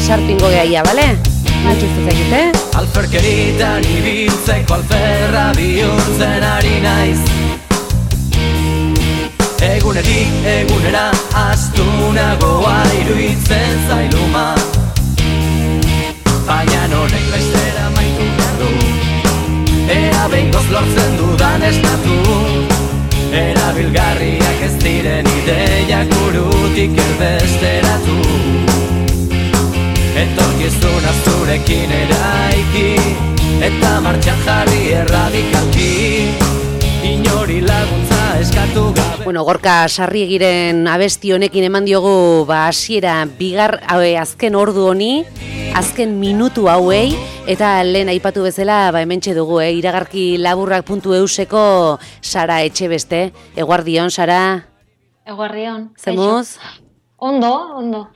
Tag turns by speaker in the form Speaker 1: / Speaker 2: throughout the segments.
Speaker 1: sartu gehaia, bale? Mantxuztu zegite?
Speaker 2: Alferkeritan ibiltzeko alferra bihurtzen ari naiz. Egunetik egunera astunagoa iruditzen zailuma. Baina honek bestera maitu behar du. Ea behingoz lortzen dudan esnatu. Erabilgarriak ez diren ideiak burutik erbesteratu. Etorkizuna zurekin eraiki, eta martxan jarri erradikalki, inori laguntza eskatu gabe.
Speaker 1: Bueno, Gorka Sarriegiren abesti honekin eman diogu hasiera azken ordu honi, azken minutu hauei, eta lehen aipatu bezala hementxe dugu, iragarki laburrak.euseko Sara Etxebeste. Eguardion, Sara?
Speaker 3: Eguardion.
Speaker 1: Zemuz?
Speaker 3: Ondo.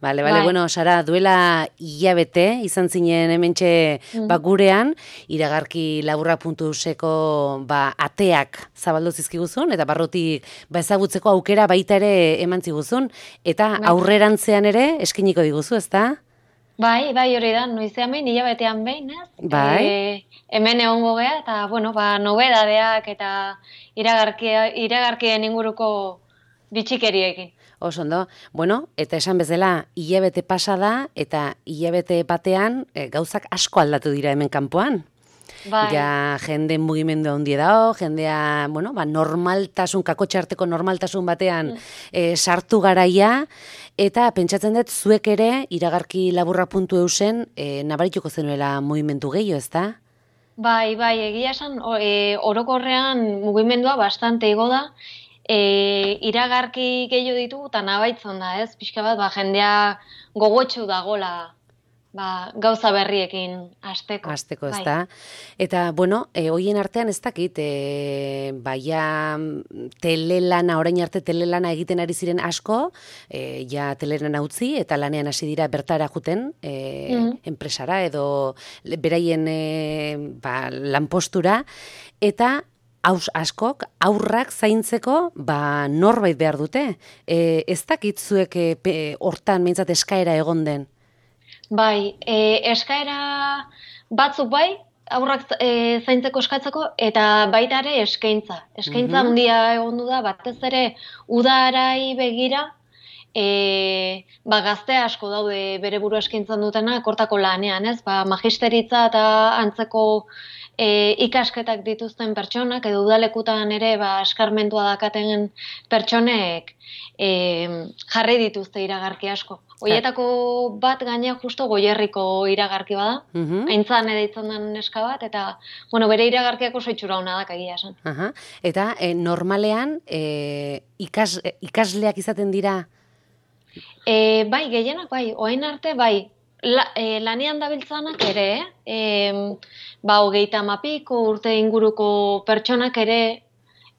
Speaker 1: Bale, bueno, Sara, duela hilabete izan zinen hementxe gurean, iragarki laburrak.euseko ateak zabaldu zizkiguzun, eta barrutik ezagutzeko aukera baita ere eman ziguzun, eta aurrerantzean ere eskiniko diguzu, ezta?
Speaker 3: Bai, hori da, noizean behin, hilabetean behin, ez?
Speaker 1: Bai.
Speaker 3: Hemen egongo gea, eta, nobedadeak eta iragarkien inguruko bitxikeriekin.
Speaker 1: Oso ondo. Bueno, eta esan bezala, hilabete pasa da, eta hilabete batean gauzak asko aldatu dira hemen kanpoan.
Speaker 3: Bai.
Speaker 1: Ja, jende mugimendu handi dago, jendea, normaltasun, kakotxarteko normaltasun batean sartu garaia, eta pentsatzen dut zuek ere, iragarki laburrak.eusen, nabarituko zenuela mugimendu gehiago, ezta?
Speaker 3: Bai, egia esan, orokorrean mugimendua bastante igo da, iragarki gehiago ditugu eta nabaitzen da, ez? Pixka bat, jendea gogotxu dagola gauza berriekin hasteko.
Speaker 1: Hasteko, ez da. Eta, hoien artean ez dakit, telelana, orain arte telelana egiten ari ziren asko, ja telelana utzi, eta lanean hasi dira bertara juten, enpresara edo beraien lanpostura, eta askok aurrak zaintzeko norbait behar dute. Ez dakit zuek hortan mintzat eskaera egon den?
Speaker 3: Bai, eskaera batzuk aurrak zaintzeko eskatzeko, eta baita ere eskaintza. Eskaintza handia egon da, batez ere udarai begira, gazte asko daude bere buru eskaintzan dutena, kortako lanean, ez? Magisteritza eta antzeko ikasketak dituzten pertsonak, edo udalekutan ere eskarmentua dakaten pertsonek jarri dituzte iragarki asko. Hoietako bat gaina justo Goierriko iragarki bada, aintzan edaitzen den neska bat, eta bere iragarkiak oso itxura hona dak egia esan.
Speaker 1: Eta normalean ikasleak izaten dira?
Speaker 3: Bai, gehienak bai, orain arte bai, lanean dabiltzanak ere, 30 urte inguruko pertsonak ere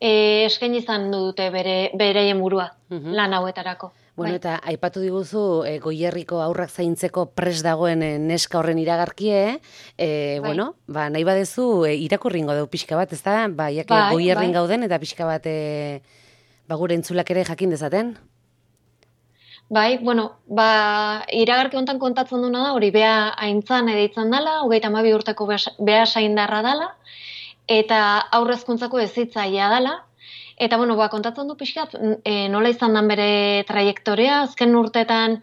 Speaker 3: eskaini izan dute bereien burua lan hauetarako.
Speaker 1: Bueno, eta aipatu diguzu Goierriko aurrak zaintzeko prest dagoen neska horren iragarkie, nahi badezu irakurringo dugu pixka bat, ez da? Goierrin gauden eta pixka bat gure entzulak ere jakin dezaten?
Speaker 3: Bai, iragarki hontan kontatzen duna da, hori bea aintzan edaitzen dela, 32 urteko bea saindarra dela, eta aurrezkuntzako ezitzaia dela, eta kontatzen du pixkat, nola izan dan bere trajektorea, azken urtetan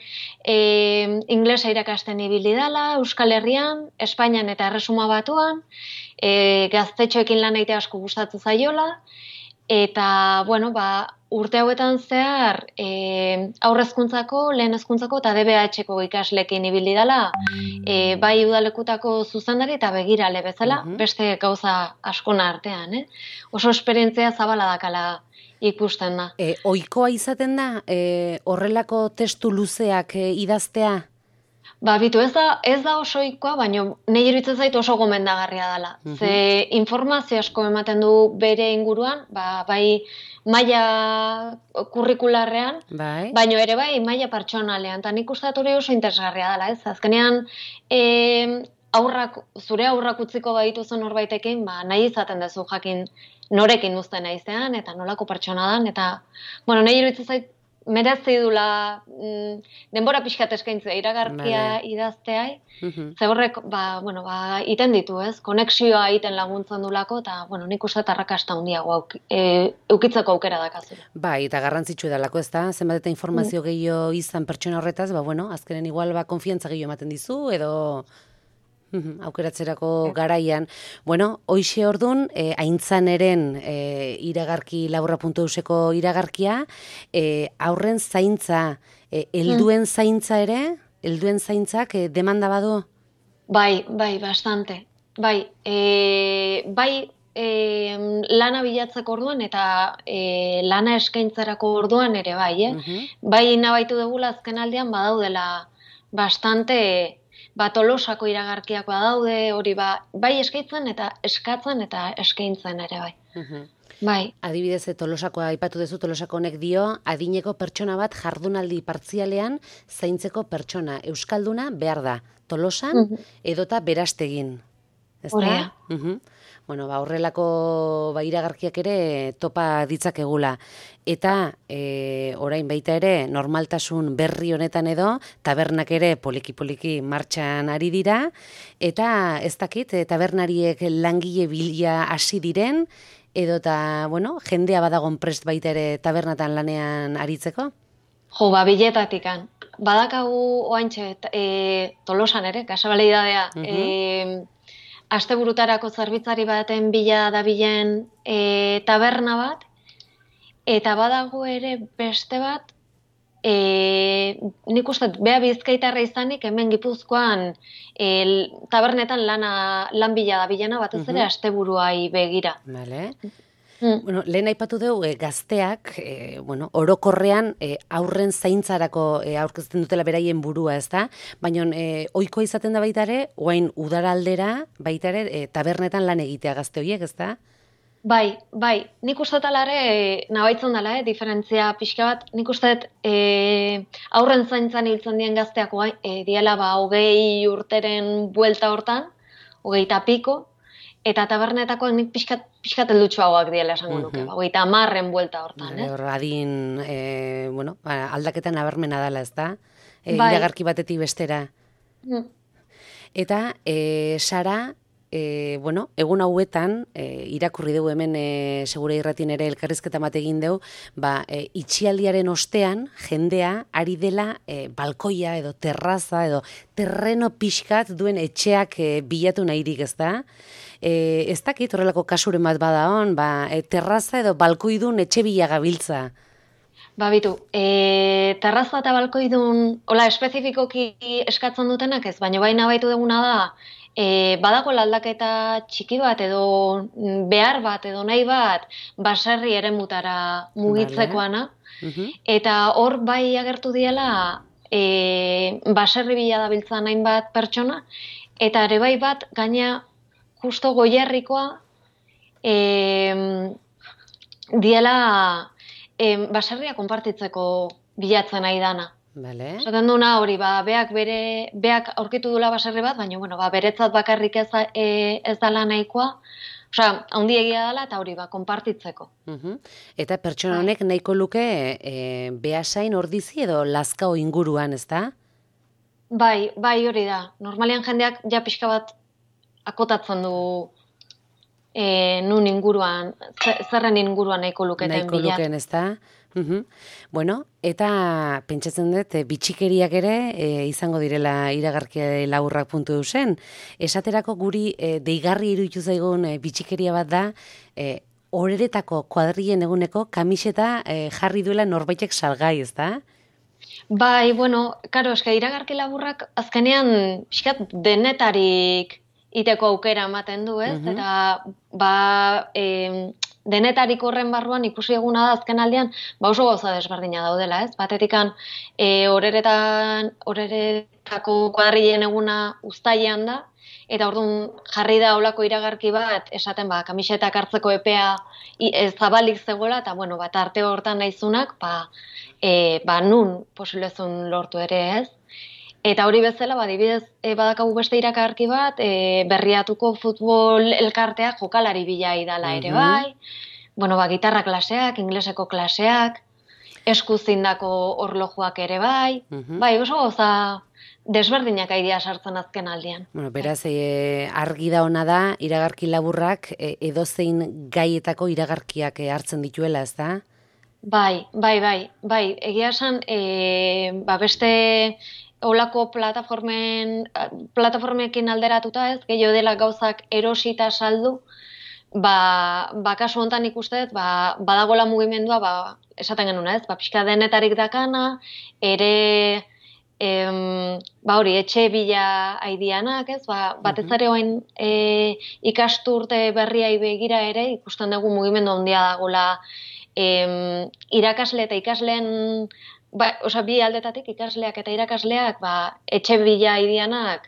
Speaker 3: inglesa irakasten ibili dela, Euskal Herrian, Espainian eta Erresuma Batuan, gaztetxoekin lan egitea asko gustatzen zaiola, eta, urte hauetan zehar aurrezkuntzako, lehen hezkuntzako eta DBH-ko ikaslekin ibili dela, bai udalekutako zuzendari eta begirale bezala, beste gauza askona artean. Oso esperientzia zabala dakala ikusten da.
Speaker 1: Ohikoa izaten da horrelako testu luzeak idaztea?
Speaker 3: Bitu, ez da oso ohikoa, baina nahi iruditzen zait oso gomendagarria dela. Ze informazio asko ematen du bere inguruan, bai maila kurrikularrean, baina ere bai maila pertsonalean. Eta nik uste hori oso interesgarria dela, ez? Azkenean, zure aurrak utziko badituzen norbaitekin, nahi izaten duzu jakin norekin uzten naizean, eta nolako pertsona dan, eta, nahi iruditzen zait merezi dula denbora pixkat eskaintzea iragarkia idazteai, ze horrek, iten ditu, ez? Konexioa iten laguntzen dulako, eta, nik uste arrakasta handiago eukitzeko aukera dakazula.
Speaker 1: Bai, eta garrantzitsu edalako, ez da? Zenbat eta informazio gehiago izan pertsona horretaz, azkenen igual konfiantza gehiago ematen dizu, edo aukeratzerako garaian. Hoxe ordun, aintzaneren iragarki laburra.euseko iragarkia, aurren zaintza, helduen zaintza ere, helduen zaintzak demanda badu?
Speaker 3: Bai, bastante. Bai, lana bilatzeko orduan eta lana eskaintzarako orduan ere bai, Bai nabaitu dugula azken aldean badaudela bastante Tolosako iragarkiak badaude, hori bai eskaintzen eta eskatzen eta eskaintzen ere bai. Bai.
Speaker 1: Adibidez, Tolosakoa aipatu duzu, Tolosako honek dio, adineko pertsona bat jardunaldi partzialean zaintzeko pertsona. Euskalduna behar da, Tolosan edota Berastegin.
Speaker 3: Horea.
Speaker 1: Horrelako iragarkiak ere topa ditzakegula. Eta orain baita ere normaltasun berri honetan edo tabernak ere poliki-poliki martxan ari dira. Eta ez dakit, tabernariek langile bila hasi diren, edota, jendea badagon prest baita ere tabernatan lanean aritzeko?
Speaker 3: Biletatikan. Badakagu oaintxe Tolosan ere, kasualidadea. Asteburutarako zerbitzari baten bila dabilen taberna bat, eta badago ere beste bat, nik uste, bea Bizkaitarra izanik, hemen Gipuzkoan tabernetan lan bila dabilena, batez ere asteburuai begira.
Speaker 1: Vale. Lehen aipatu dugu gazteak, orokorrean aurren zaintzarako aurkezten dutela beraien burua, ez da? Baina ohikoa izaten da baita ere, oain udara aldera, baita ere, tabernetan lan egitea gazte horiek, ez da?
Speaker 3: Bai, nik uste talare, nabaitzen dela, diferentzia pixka bat, nik uste aurren zaintzan hiltzen dien gazteak diela 20 urteren buelta hortan, 20 piko, eta tabernetakoak nik pixkat eldutxoagoak diela esango nuke, 30 buelta hortan,
Speaker 1: Adin, aldaketan nabarmena dela, ez da? Iragarki batetik bestera. Eta, Sara, egun hauetan, irakurri dugu hemen segure irratin ere elkarrizketa bat egin dugu, itxialdiaren ostean jendea ari dela balkoia edo terraza edo terreno pixkat duen etxeak bilatu nahirik, ez da? Ez dakit horrelako kasuren bat bada hon, terraza edo balkoidun etxe bila gabiltza.
Speaker 3: Bitu, terraza eta balkoidun, espezifikoki eskatzen dutenak ez, baina baina baitu duguna da, badago aldaketa txiki bat edo behar bat edo nahi bat baserri eremutara mugitzekoana. Eta hor bai agertu diela baserri bila dabiltzan hainbat pertsona, eta ere bai bat gaina justo goierrikoa diela baserria konpartitzeko bilatzen nahi dana. Zaten duna hori, beak aurkitu dula baserri bat, baina beretzat bakarrik ez dala nahikoa, handiegia dela eta hori konpartitzeko.
Speaker 1: Eta pertsona honek nahiko luke Beasain, Ordizi edo Lazkao inguruan, ez da?
Speaker 3: Bai hori da. Normalean jendeak ja pixka bat akotatzen du nun inguruan, zerren inguruan nahiko luketen bila.
Speaker 1: Nahiko luken, ez da? Eta pentsatzen dut, bitxikeriak ere izango direla iragarkia laburrak.eusen. Esaterako guri deigarri iruditu zaigun bitxikeria bat da, horeretako kuadrien eguneko kamiseta jarri duela norbaitek salgai, ez da?
Speaker 3: Bai, iragarki laburrak azkenean pixkat denetarik iteko aukera ematen du, ez? Eta denetarik horren barruan ikusi eguna da azken aldean, oso gauza desberdina daudela, ez? Batetikan horeretako kuadrilen eguna uztailean da, eta orduan jarri da olako iragarki bat, esaten kamisetak hartzeko epea zabalik zegoela, eta arte hortan nahizunak, nun posiblezun lortu ere, ez? Eta hori bezala, adibidez, badakagu beste iragarki bat, Berriatuko futbol elkarteak jokalari bila idala ere bai, gitarra klaseak, ingleseko klaseak, eskuzindako orlojuak ere bai, bai, oso gauza desberdinak aidia sartzen azken aldian.
Speaker 1: Bueno, beraz, argi da ona da, iragarki laburrak edozein gaietako iragarkiak hartzen dituela, ez da?
Speaker 3: Bai, egia esan, beste olako plataformekin alderatuta ez, gehiago dela gauzak erosita saldu, kasu hontan ikuste, badagola mugimendua, esaten genuna ez, pixka denetarik dakana, ere, hori, etxe bila aidianak ez, batez ere oain ikasturte berriai begira ere, ikusten dugu mugimendu handia dagoela, irakasle eta ikasleen, bi aldetatik ikasleak eta irakasleak etxe bila aidianak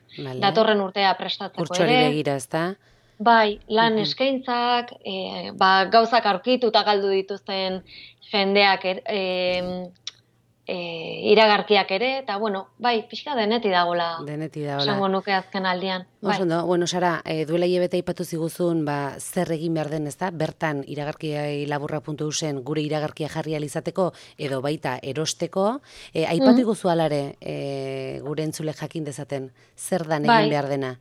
Speaker 3: datorren urtea prestatzeko ere.
Speaker 1: Kurtsuari begira, ez da?
Speaker 3: Bai, lan eskaintzak, gauzak aurkitu eta galdu dituzten jendeak iragarkiak ere, eta pixka deneti dagoela.
Speaker 1: Deneti dagoela.
Speaker 3: Esango nuke azken aldian.
Speaker 1: Osondo, Sara, duela hilabete aipatu ziguzun, zer egin behar den, ez da? Bertan iragarkilaburra.eusen gure iragarkia jarri alizateko, edo baita erosteko, aipatu iguzu alare gure entzule jakin dezaten, zer dan egin behar dena?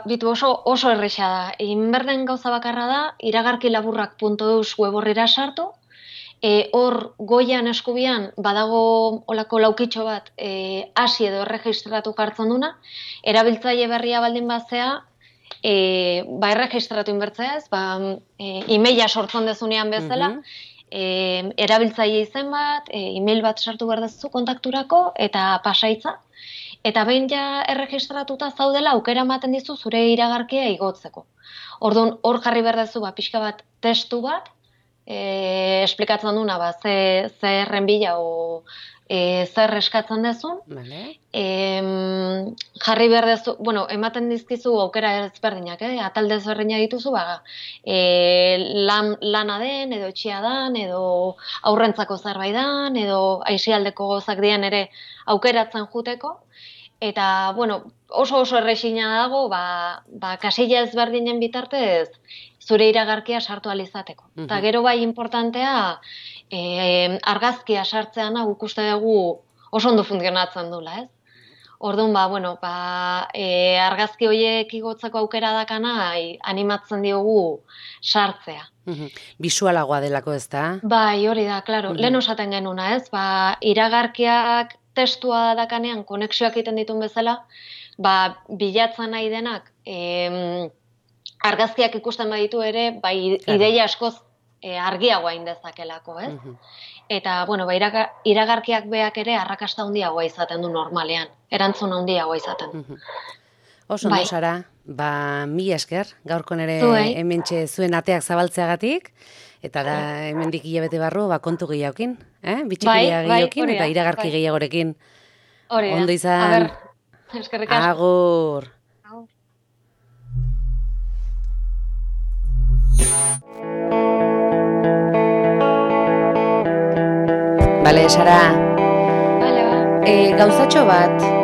Speaker 3: Bitu oso erresa da. Egin behar den gauza bakarra da, iragarkilaburrak.eus web horrera sartu, hor goian eskubian badago olako laukitxo bat hasi edo erregistratu jartzen duna, erabiltzaile berria baldin bazea, erregistratu inbertzea ez, e-maila sortzen dezunean bezala, erabiltzaile izen bat, e-mail bat sartu behar dezu kontakturako eta pasaitza, eta behin ja erregistratuta zaudela aukera ematen dizu zure iragarkia igotzeko. Orduan hor jarri behar dezu pixka bat testu bat, esplikatzen duna, zer renbila o zer eskatzen dezun. Jarri behar dezu, ematen dizkizu aukera ezberdinak, atalde ezberdina dituzu, lana den, edo etxia dan, edo aurrentzako zerbait dan, edo aisialdeko gozak dian ere aukeratzen juteko. Eta, oso erresina dago, kasilla ezberdinen bitartez, zure iragarkia sartu alizateko. Eta gero bai importantea, argazkia sartzeana ikuste dugu oso ondo funtzionatzen dula, ez? Orduan, argazki horiek igotzeko aukera dakana, animatzen diogu sartzea.
Speaker 1: Bisualagoa delako, ez da?
Speaker 3: Bai, hori da, klaro. Lehen osaten genuna, ez? Iragarkiak testua dakanean, konexioak egiten ditun bezala, bilatzen nahi denak, argazkiak ikusten baditu ere, ideia askoz argiagoa indezakelako, ez? Eta, iragarkiak beak ere arrakasta handiagoa izaten du normalean, erantzun handiagoa izaten.
Speaker 1: Oso ondo, Sara, mila esker, gaurkon ere hementxe zuen ateak zabaltzeagatik, eta da hemendik hilabete barru, kontu gehiagokin, bitxikeria gehiagokin, eta iragarki gehiagorekin. Ondo izan.
Speaker 3: Eskerrik asko.
Speaker 1: Agur. Bale, Sara.
Speaker 3: Bale,
Speaker 1: gauzatxo bat,